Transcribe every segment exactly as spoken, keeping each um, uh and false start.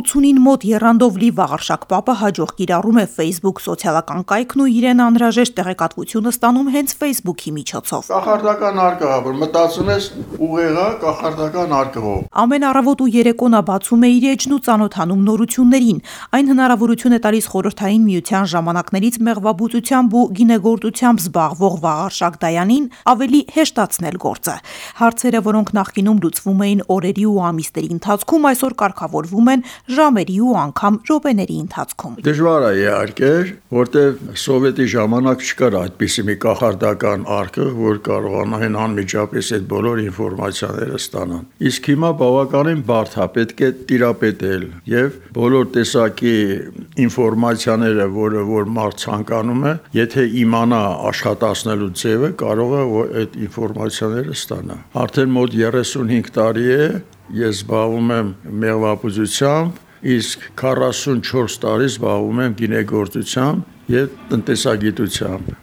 ութսունին մոտ եռանդով լի Վաղարշակ պապը հաջող կիրառում է Facebook սոցիալական կայքն ու իրեն անհրաժեշտ տեղեկատվությունը ստանում հենց Facebook-ի միջոցով։ Կախարդական արկղ, որ մտածում ես ուղեղա կախարդական արկղով։ Ամեն առավոտ ու երեկո նա բացում է իր էջն ու ծանոթանում նորություններին։ Այն հնարավորություն է տալիս Խորհրդային Միության ժամանակներից մեղվաբուծությամբ ու գինեգործությամբ զբաղվող Վաղարշակ Դայանին ավելի հեշտացնել գործը։ Հարցերը, որոնք նախկինում լուծվում էին օրերի ու ամիսների ընթացքում, այսօր կարգավորվում են ժամերի ու անգամ րոպեների ընթացքում։ Դժվար է իհարկե, որտեղ սովետի ժամանակ չկար այդպիսի մի կախարդական արկղ, որ կարողանային անմիջապես այդ բոլոր ինֆորմացիաները ստանան։ Իսկ հիմա բավականին բարդ է, պետք է տիրապետել եւ բոլոր տեսակի ինֆորմացիաները, որը որ մարդ ցանկանում է, եթե իմանա աշխատացնելու ձևը, կարող է այդ ինֆորմացիաները ստանա։ Արդեն մոտ երեսունհինգ տարի է ես զբաղվում եմ մեղվաբուծությամբ, իսկ քառասունչորս տարի զբաղվում եմ գինեգործությամբ եւ տնտեսագիտությամբ։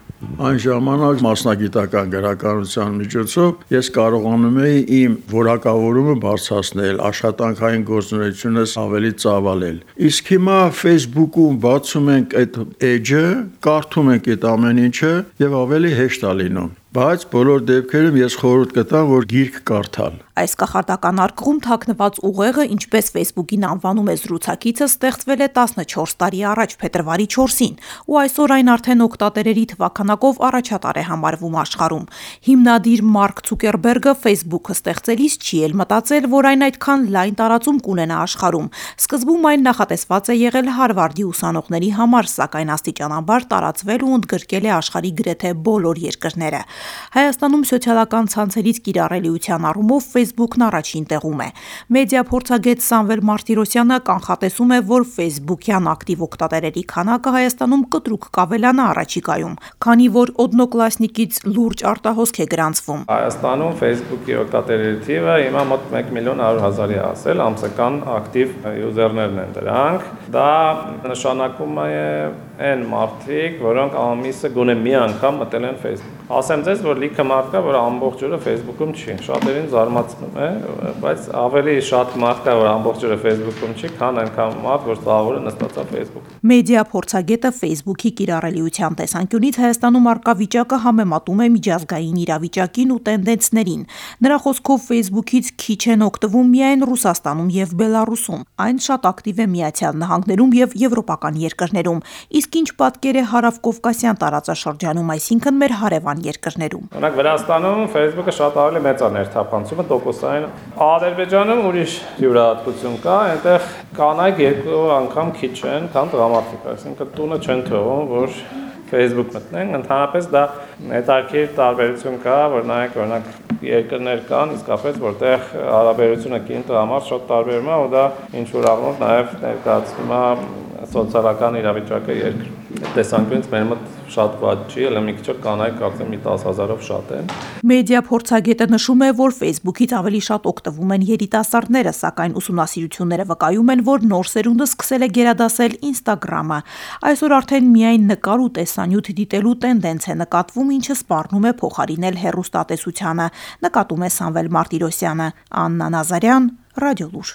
Այն ժամանակ մասնագիտական գրականության միջոցով ես կարողանում էի իմ որակավորումը բարձրացնել, աշխատանքային գործունեությունս ավելի ծավալել։ Իսկ հիմա Facebook-ում բացում ենք այդ էջը, կարդում ենք այդ ամեն ինչը եւ ավելի հեշտ է լինում։ Բայց բոլոր դեպքերում ես խորհուրդ կտամ, որ գիրք կարդալ։ Այս կախարդական արկղում թաքնված ուղեղը, ինչպես Facebook-ին անվանում է զրուցակիցը, ստեղծվել է տասնչորս տարի առաջ, փետրվարի չորսին, ու այսօր այն արդեն օգտատերերի թվականակով առաջատար է համարվում աշխարհում։ Հիմնադիր Մարկ Ցուկերբերգը Facebook-ը ստեղծելիս չի էլ մտածել, որ այն այդքան լայն տարածում կունենա աշխարհում։ Սկզբում այն նախատեսված է եղել Հարվարդի ուսանողների համար, սակայն աստիճանաբար տարածվել ու ընդգրկել է աշխարհի գրեթե բոլոր երկրները։ Հայաստանում սոցիալական ցանցերից կիրառելիության առումով Facebook-ն առաջին տեղում է։ Մեդիա փորձագետ Սամվել Մարտիրոսյանը կանխատեսում է, որ Facebook-յան ակտիվ օգտատերերի քանակը Հայաստանում կտրուկ կավելանա առաջիկայում, քանի որ Օդնոկլասնիկից լուրջ արտահոսք է գրանցվում։ Հայաստանում Facebook-ի օգտատերերի թիվը հիմա մոտ մեկ միլիոն հարյուր հազարի հասել, ամսական ակտիվ յուզերներն են դրանք։ Դա նշանակում է այն մարդիկ, որոնք ամիսը գոնե մի անգամ մտել են Facebook։ Ասեմ ձեզ, որ լիքը մարդ կա, որ ամբողջ օրը Facebook-ում չի։ Շատերին զարմացնում է, բայց ավելի շատ մարդ կա, որ ամբողջ օրը Facebook-ում չի, քան այնքան մարդ, որ ծավալը նստած է Facebook-ում։ Մեդիա փորձագետը Facebook-ի կիրառելիության տեսանկյունից Հայաստանում առկա վիճակը համեմատում է միջազգային իրավիճակին ու տենդենսներին։ Նրա խոսքով Facebook-ից քիչ են օգտվում միայն Ռուսաստանում եւ Բելարուսում։ Այն շատ ակտիվ է Միացյալ Նահանգներում եւ եվրոպական երկրներում։ Իսկ ինչ պատկեր է հարավկովկասյան տարածաշրջանում, այսինքն մեր հարևան երկրներում։ Օրինակ Վրաստանում Facebook-ը շատ ավելի մեծ է ներթափանցումը տոկոսային։ Ադրբեջանում ուրիշ յուրահատկություն կա, այնտեղ կանայք երկու անգամ քիչ են, քան տղամարդիկ, այսինքն տունը չեն թողում, որ Facebook մտնեն, ընդհանրապես դա հետաքրքիր տարբերություն կա, որ նայեք, օրինակ երկրներ կան, իսկապես որտեղ հարաբերությունը կին տղամարդ շատ տարբերում է, ու դա ինչ որ առումով նաև ներկայացնում է սոցիալական իրավիճակը երկրում։ Տեսանկյունից մեր մոտ շատ վատ չի, ելը մի քիչ կանայք կարծեմ մի տասը հազարով շատ են։ Մեդիա փորձագետը նշում է, որ Facebook-ից ավելի շատ օգտվում են երիտասարդները, սակայն ուսումնասիրությունները վկայում են, որ նոր սերունդը սկսել է գերադասել Instagram-ը։ Այսօր արդեն միայն նկար ու տեսանյութ դիտելու տենդենց է նկատվում, ինչը սպառնում է փոխարինել հեռուստատեսությանը, նկատում է Սամվել Մարտիրոսյանը։ Աննա Նազարյան, Ռադիոլուր։